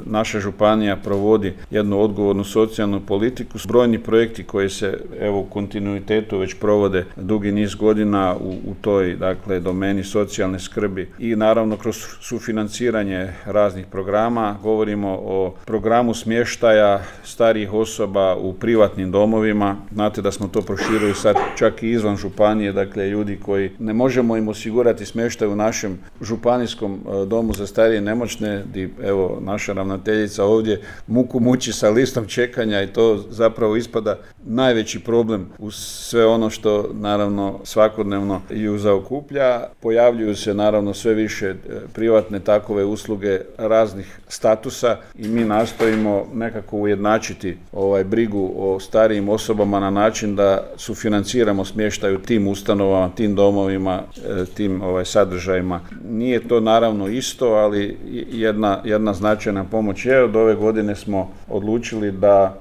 naša županija provodi jednu odgovornu socijalnu politiku. Brojni projekti koji se u kontinuitetu već provode dugi niz godina u toj domeni socijalne skrbi i naravno kroz sufinanciranje raznih programa. Govorimo o programu smještaja starijih osoba u privatnim domovima. Znate da smo to proširili sad čak i izvan županije, ljudi koji ne možemo im osigurati smještaj u našem županijskom domu za starije i nemoćne, gdje naša ravnateljica ovdje muku muči sa listom čekanja i to zapravo ispada najveći problem uz sve ono što naravno svakodnevno ju zaokuplja. Pojavljuju se naravno sve više privatne takove usluge raznih statusa i mi nastojimo nekako ujednačiti brigu o starijim osobama na način da sufinanciramo smještaj u tim ustanovama, tim domovima, tim sadržajima. Nije to naravno isto, ali jedna značajna pomoć je. Od ove godine smo odlučili da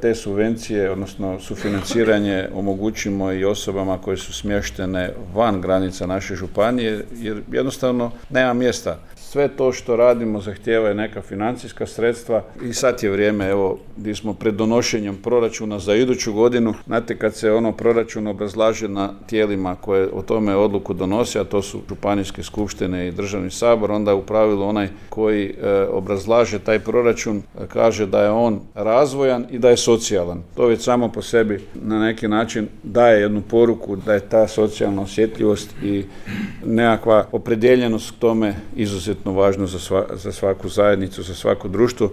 te subvencije, odnosno sufinanciranje omogućimo i osobama koje su smještene van granica naše županije, jer jednostavno nema mjesta. Sve to što radimo zahtijeva neka financijska sredstva i sad je vrijeme, gdje smo pred donošenjem proračuna za iduću godinu. Znate, kad se proračun obrazlaže na tijelima koje o tome odluku donose, a to su županijske skupštine i državni sabor, onda u pravilu onaj koji obrazlaže taj proračun kaže da je on razvojan i da je socijalan. To već samo po sebi na neki način daje jednu poruku da je ta socijalna osjetljivost i nekakva opredjeljenost k tome izuzetno važno za svaku zajednicu, za svako društvo.